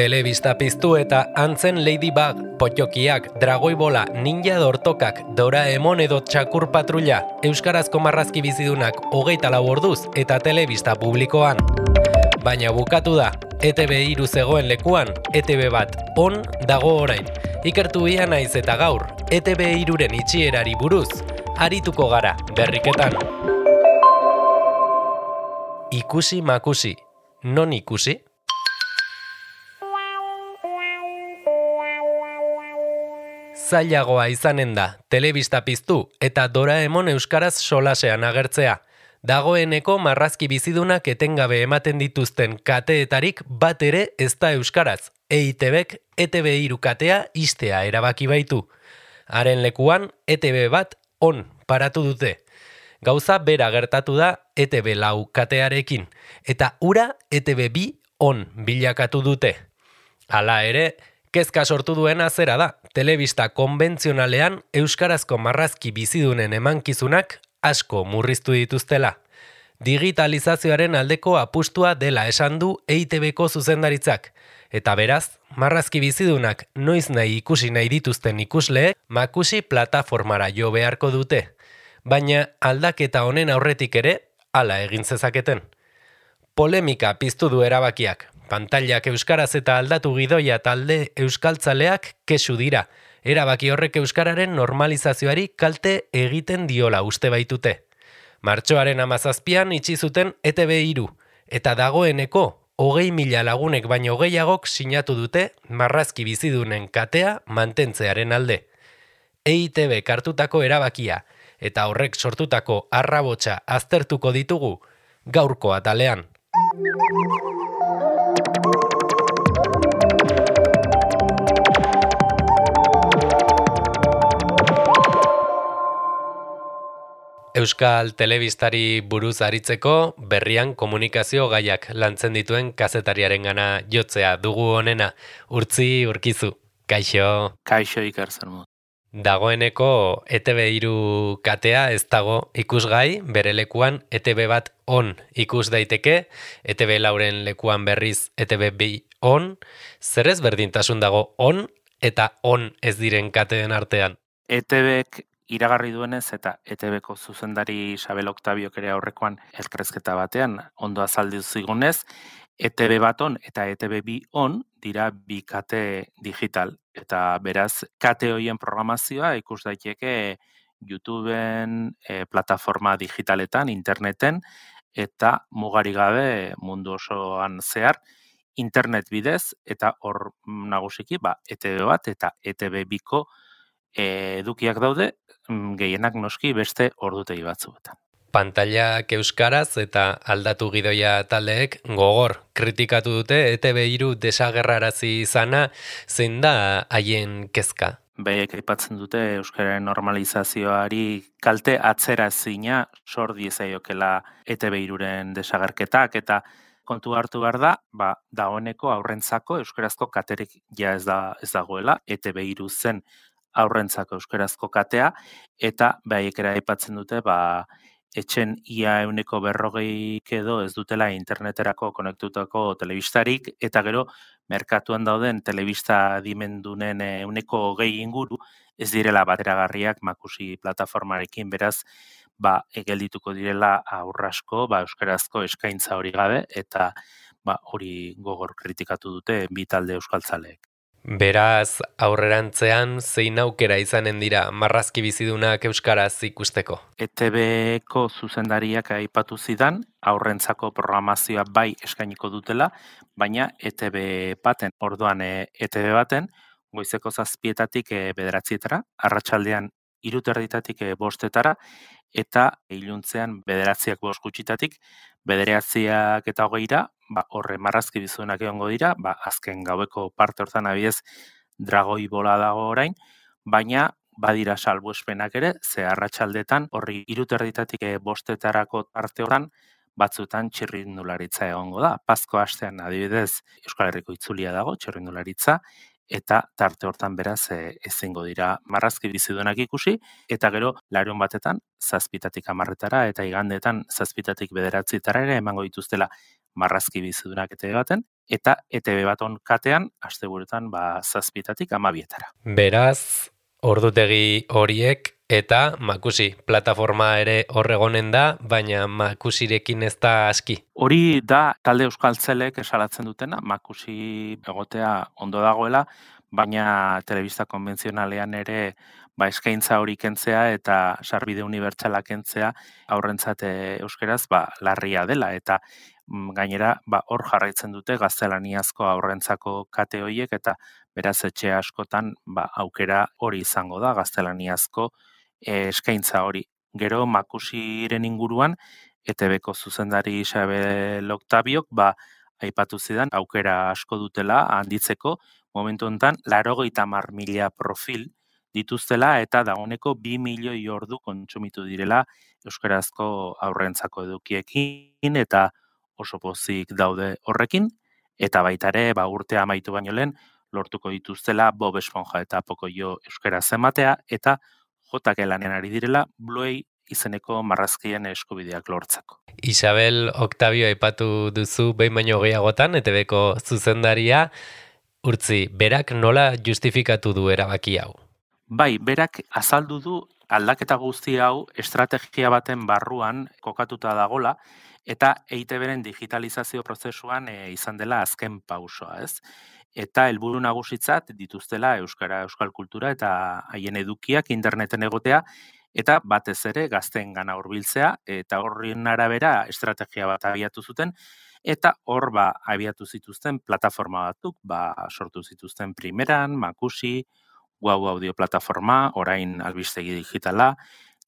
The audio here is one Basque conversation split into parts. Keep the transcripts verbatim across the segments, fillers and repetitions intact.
Telebista piztu eta antzen Ladybug, potjokiak, dragoibola, ninja dortokak, Doraemon edo txakur patrulla, euskarazko marrazki bizidunak hogeita lau orduz eta telebista publikoan. Baina bukatu da, E Te Be hiru zegoen lekuan, E Te Be bat on dago orain. Ikertu ia naiz eta gaur, E Te Be hiruren itxierari buruz, arituko gara berriketan. Ikusi makusi, non ikusi? Zailagoa izanen da, telebista piztu eta Doraemon euskaraz solasean agertzea. Dagoeneko marrazki bizidunak etengabe ematen dituzten kateetarik bat ere ez da euskaraz. E I Te Bek E Te Be hiru katea ixtea erabaki baitu. Haren lekuan E Te Be bat on paratu dute. Gauza bera gertatu da E Te Be lau katearekin, eta ura E Te Be bi on bilakatu dute. Hala ere, kezka sortu duena zera da, telebista konbentzionalean euskarazko marrazki bizidunen emankizunak asko murriztu dituztela. Digitalizazioaren aldeko apustua dela esan du E I Te Beko zuzendaritzak, eta beraz, marrazki bizidunak noiz nahi ikusi nahi dituzten ikusleek makusi plataformara jo beharko dute. Baina aldaketa honen aurretik ere, hala egin zezaketen. Polemika piztu du erabakiak. Pantailak euskaraz eta aldatu gidoia talde euskaltzaleak kesu dira. Erabaki horrek euskararen normalizazioari kalte egiten diola uste baitute. Martxoaren hamazazpian itxi zuten E Te Be hiru, eta dagoeneko hogei mila lagunek baino gehiagok sinatu dute marrazki bizidunen katea mantentzearen alde. E I Te Bek hartutako erabakia eta horrek sortutako arrabotsa aztertuko ditugu gaurko atalean. Euskal telebistari buruz aritzeko berrian komunikazio gaiak lantzen dituen kazetariarengana jotzea dugu honena. Urtzi Urkizu, kaixo. Kaixo Iker Zermut. Dagoeneko E Te Be hiru katea ez dago ikusgai, bere lekuan E Te Be bat on ikus daiteke, E Te Be lauren lekuan berriz E Te Be bi on, zer ez berdintasun dago on eta on ez diren kateen artean? E Te Bek iragarri duenez eta E Te Beko zuzendari Isabel Octabiok ere aurrekoan elkarrizketa batean ondo azaldu zigunez, E Te Be bat on eta E Te Be bi on dira bi kate digital. Eta beraz, kate hoien programazioa ikus daiteke YouTubeen, e, plataforma digitaletan, interneten, eta mugari gabe mundu osoan zehar, internet bidez, eta hor nagusiki, ba, E Te Be bat eta E Te Be biko e, edukiak daude, gehienak noski beste ordutegi batzuetan. Pantailak euskaraz eta aldatu gidoia taldeek gogor kritikatu dute E Te Be hiru desagerrarazi izana, zein da haien kezka? Behiek aipatzen dute euskararen normalizazioari kalte atzera ezina sor diezaiokela E Te Be hiruren desagerketak, eta kontu hartu behar da, ba, dagoeneko aurrentzako euskarazko katerik ja ez da ez dagoela, E Te Be hiru zen aurrentzako euskarazko katea, eta behiek ere aipatzen dute, ba, etxen ia euneko berrogeik edo ez dutela interneterako konektutako telebistarik, eta gero merkatuan dauden telebista dimendunen euneko hogei inguru ez direla bateragarriak makusi plataformarekin, beraz, ba, egeldituko direla aurrasko, ba, euskarazko eskaintza hori gabe, eta ba, hori gogor kritikatu dute bi talde euskaltzaleek. Beraz, aurrerantzean zein aukera izanen dira marrazki bizidunak euskaraz ikusteko? E Te Beko zuzendariak aipatu zidan, aurrentzako programazioa bai eskainiko dutela, baina E Te Be baten, orduan E Te Be baten, goizeko zazpietatik bederatzietara, arratsaldean hiru terditatik bostetara, eta iluntzean bederatziak bost gutxitatik, bederatziak eta hogeira, ba, horre marrazki bizunak egongo dira, ba, azken gaueko parte hortan abiez dragoi bola dago orain, baina badira salbuespenak ere, ze arratsaldetan horri hiru terditatik bostetarako parte hortan, batzutan txirrindularitza egongo da. Pazko astean adibidez Euskal Herriko itzulia dago, txirrindularitza, eta tarte hortan beraz e, ezingo dira marrazki bizidunak ikusi, eta gero larun batetan zazpitatik hamarretara eta igandetan zazpitatik bederatzitara ere emango dituztela marrazki bizidunak E T B baten, eta E T B baton katean, asteburuetan ba, zazpietatik amabietara. Beraz, ordutegi horiek eta Makusi plataforma ere horregonen da, baina Makusirekin ez da aski. Hori da talde euskaltzelek esalatzen dutena, Makusi egotea ondo dagoela, baina telebista konbentzionalean ere ba, eskaintza hori kentzea eta sarbide unibertsala kentzea aurrentzat euskeraz ba, larria dela. Eta mm, gainera ba, hor jarraitzen dute gaztelaniazko aurrentzako kate horiek eta beraz etxe askotan ba, aukera hori izango da gaztelaniazko eh, eskaintza hori. Gero Makusiren inguruan E T B-ko zuzendari Isabel Octabiok ba, aipatu zidan aukera asko dutela handitzeko, momentu honetan laurogeita hamar mila profil dituztela eta dagoeneko bi milioi ordu kontsumitu direla euskarazko aurrentzako edukiekin eta oso pozik daude horrekin, eta baita ere ba, urtea amaitu baino lehen lortuko dituztela Bob Esponja eta Pocoyo euskaraz ematea eta J K lanean ari direla Bluey izeneko marrazkien eskubideak lortzeko. Isabel Octavio aipatu duzu behin baino gehiagotan, E T B-ko zuzendaria, Urtzi, berak nola justifikatu du erabaki hau? Bai, berak azaldu du aldaketa guzti hau estrategia baten barruan kokatuta dagola, eta E T B-ren digitalizazio prozesuan e, izan dela azken pausoa, ez? Eta helburu nagusitzat dituztela euskara, euskal kultura eta haien edukiak interneten egotea, eta batez ere gazteengana hurbiltzea, eta horren arabera estrategia bat abiatu zuten, eta hor ba, abiatu zituzten plataforma batzuk, ba, sortu zituzten primeran, Makusi, Guau audio plataforma, orain albistegi digitala,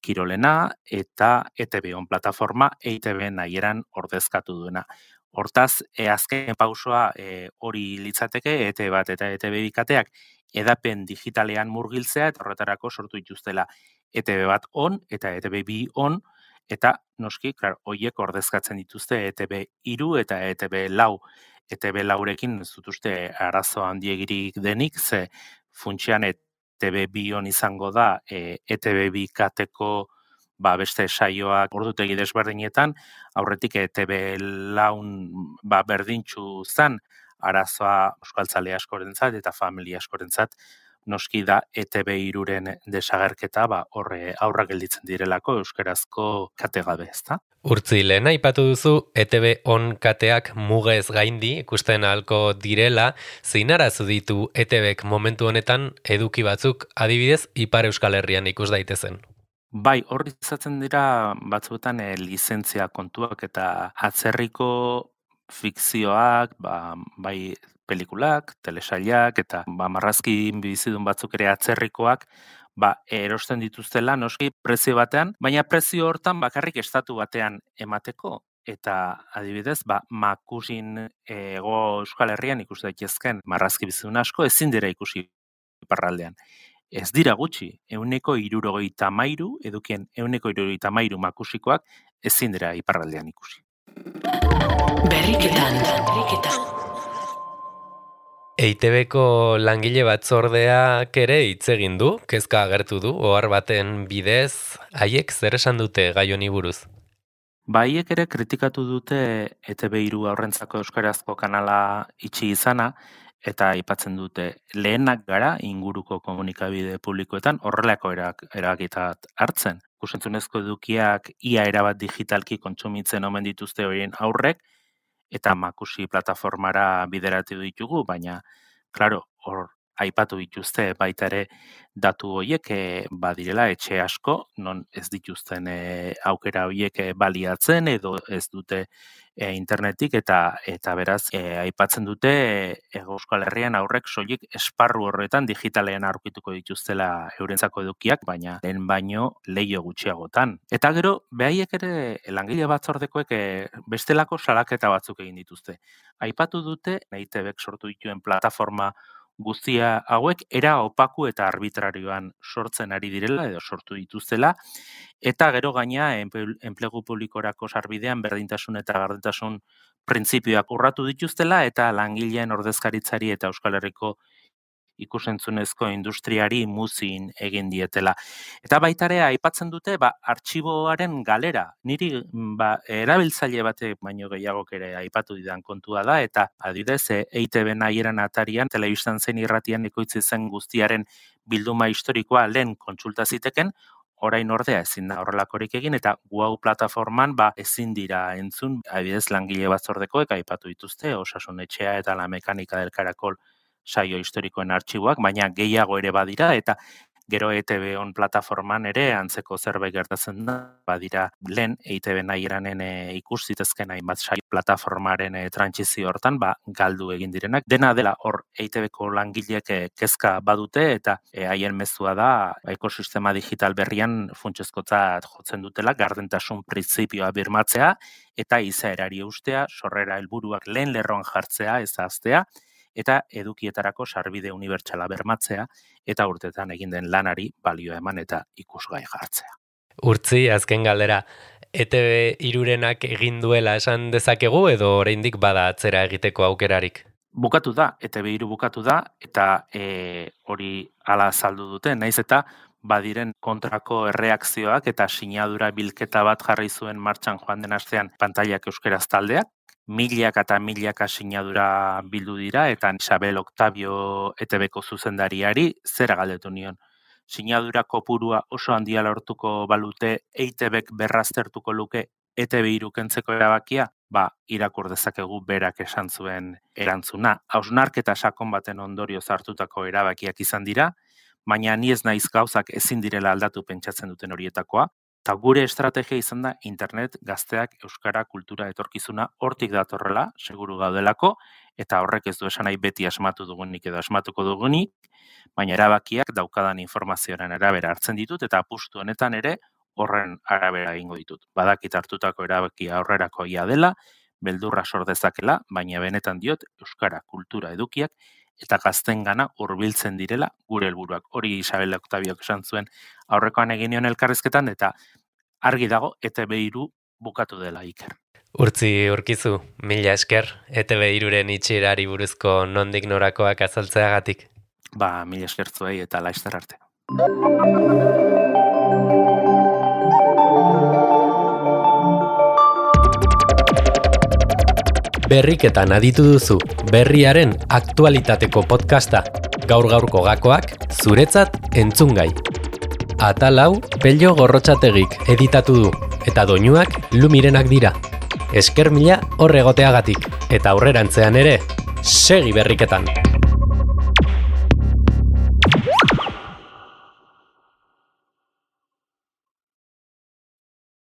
Kirolena, eta E T B on plataforma, E T B nahieran ordezkatu duena. Hortaz, e, azken pausoa e, hori litzateke, E T B bat eta E T B bikateak edapen digitalean murgiltzea, eta horretarako sortu dituztela E T B bat on, eta E T B bi on, eta noski, klar, hoiek ordezkatzen dituzte E T B hiru eta E T B lau. E T B laurekin ez dut uste arazo handiegirik denik, ze funtsian E T B bi on izango da e, E T B bi kateko ba, beste saioak ordutegi desberdinetan, aurretik E T B laun ba, berdintxu zan, arazoa euskaltzale askorentzat eta familia askorentzat noski da E T B hiruren desagerketa ba, horre aurra gelditzen direlako euskarazko kate gabe, ezta? Urtzi, lehen aipatu duzu E T B on kateak mugez gaindi ikusten ahalko direla, zein arazo ditu E T Bek momentu honetan eduki batzuk adibidez Ipar Euskal Herrian ikus daitezen? Bai, hor izaten dira batzuetan e, lizentzia kontuak eta atzerriko fikzioak, ba, bai pelikulak, telesailak eta ba, marrazki bizidun batzuk ere atzerrikoak ba, erosten dituztela noski prezio batean, baina prezio hortan bakarrik estatu batean emateko. Eta adibidez, ba, Makusin ego Euskal Herrian ikus daitezken marrazki bizidun asko ezin dira ikusi iparraldean. Ez dira gutxi, ehuneko hirurogeita hamairu, edukien ehuneko hirurogeita hamairu makusikoak ezin dira iparraldean ikusi. Berriketan, berriketan. E T B-ko langile batzordeak ere hitz egin du, kezka agertu du, ohar baten bidez, haiek zer esan dute gai honi buruz? Ba, haiek ere kritikatu dute E T B hiru aurrentzako euskarazko kanala itxi izana, eta aipatzen dute lehenak gara inguruko komunikabide publikoetan horrelako erabakiak hartzen. Ikus-entzunezko edukiak ia erabat digitalki kontsumitzen omen dituzte horien aurrek, eta Makusi plataformara bideratu ditugu, baina, klaro, hor aipatu dituzte baita ere datu horiek e, badirela etxe asko, non ez dituzten e, aukera horiek e, baliatzen edo ez dute e, internetik eta eta beraz e, aipatzen dute e, Euskal Herrian aurrek soilik esparru horretan digitalean aurkituko dituztela eurentzako edukiak, baina lehen baino leio gutxiagotan. Eta gero, behaiek ere langile batzordekoek e, bestelako salaketa batzuk egin dituzte. Aipatu dute, E T Bek sortu dituen plataforma guztia hauek era opaku eta arbitrarioan sortzen ari direla edo sortu dituztela, eta gero gaina enplegu publikorako sarbidean berdintasun eta gardentasun printzipioak urratu dituztela eta langileen ordezkaritzari eta Euskal Herriko ikusentzunezko industriari muzin egin dietela. Eta baita ere aipatzen dute ba artxiboaren galera. Niri ba erabiltzaile batek baino gehiagok ere aipatu didan kontua da eta adibidez E I T B nahieran atarian telebistan zein irratian ekoitzi zen guztiaren bilduma historikoa lehen kontsulta ziteken, orain ordea ezin da horrelakorik egin eta Wow plataforman ba ezin dira entzun, adibidez langile batzordekoek aipatu dituzte Osasun Etxea eta La Mekanika del Karakol saio historikoen artxiboak, baina gehiago ere badira eta gero E T B on plataforman ere antzeko zerbait gertatzen da, badira lehen E I T B nahiranen e, ikus zitezken hainbat saio plataformaren e, trantsizio hortan ba galdu egin direnak. Dena dela hor E I T Bko langileek e, kezka badute eta e, haien mezua da ekosistema digital berrian funtsezkotzat jotzen dutela gardentasun printzipioa birmatzea eta izaerari eustea, sorrera helburuak lehen lerroan jartzea, ez ahaztea, eta edukietarako sarbide unibertsala bermatzea eta urtetan egin den lanari balio eman eta ikusgai jartzea. Urtzi, azken galdera, E T B hirurenak egin duela esan dezakegu edo oraindik bada atzera egiteko aukerarik? Bukatu da, E T B hiru bukatu da eta e, hori hala azaldu dute, naiz eta badiren kontrako erreakzioak eta sinadura bilketa bat jarri zuen martxan joan den astean pantailak euskeraz taldeak, milak eta milaka sinadura bildu dira eta Isabel Octavio E T Bko zuzendariari zera galdetu nion. Sinadura kopurua oso handia lortuko balute E I T Bk berraztertuko luke E T B hiru kentzeko erabakia? Ba, irakur dezakegu berak esan zuen erantzuna. Hausnarketa sakon baten ondorioz hartutako erabakiak izan dira, baina ni ez naiz gauzak ezin direla aldatu pentsatzen duten horietakoa. Eta gure estrategia izan da internet, gazteak, euskara, kultura, etorkizuna hortik datorrela, seguru gaudelako, eta horrek ez du esan nahi beti asmatu dugunik edo asmatuko dugunik, baina erabakiak daukadan informazioaren arabera hartzen ditut, eta apustu honetan ere horren arabera egingo ditut. Badakit hartutako erabakia aurrerakoia dela, beldurra sor dezakela, baina benetan diot euskara, kultura, edukiak, eta gaztengana hurbiltzen direla gure helburuak. Hori Isabel Octaviok esan zuen aurrekoan egin nion elkarrizketan eta argi dago E T B hiru bukatu dela Iker. Urtzi Urkizu, mila esker E T B hiruren itxierari buruzko nondik norakoak azaltzeagatik. Ba, mila esker zuei eta laizter arte. Berriketan aditu duzu, berriaren aktualitateko podcasta. Gaur-gaurko gakoak, zuretzat entzungai. Atal hau, Pello Gorrotxategik editatu du, eta doinuak Lumirenak dira. Esker mila hor egoteagatik, eta aurrerantzean ere, segi berriketan!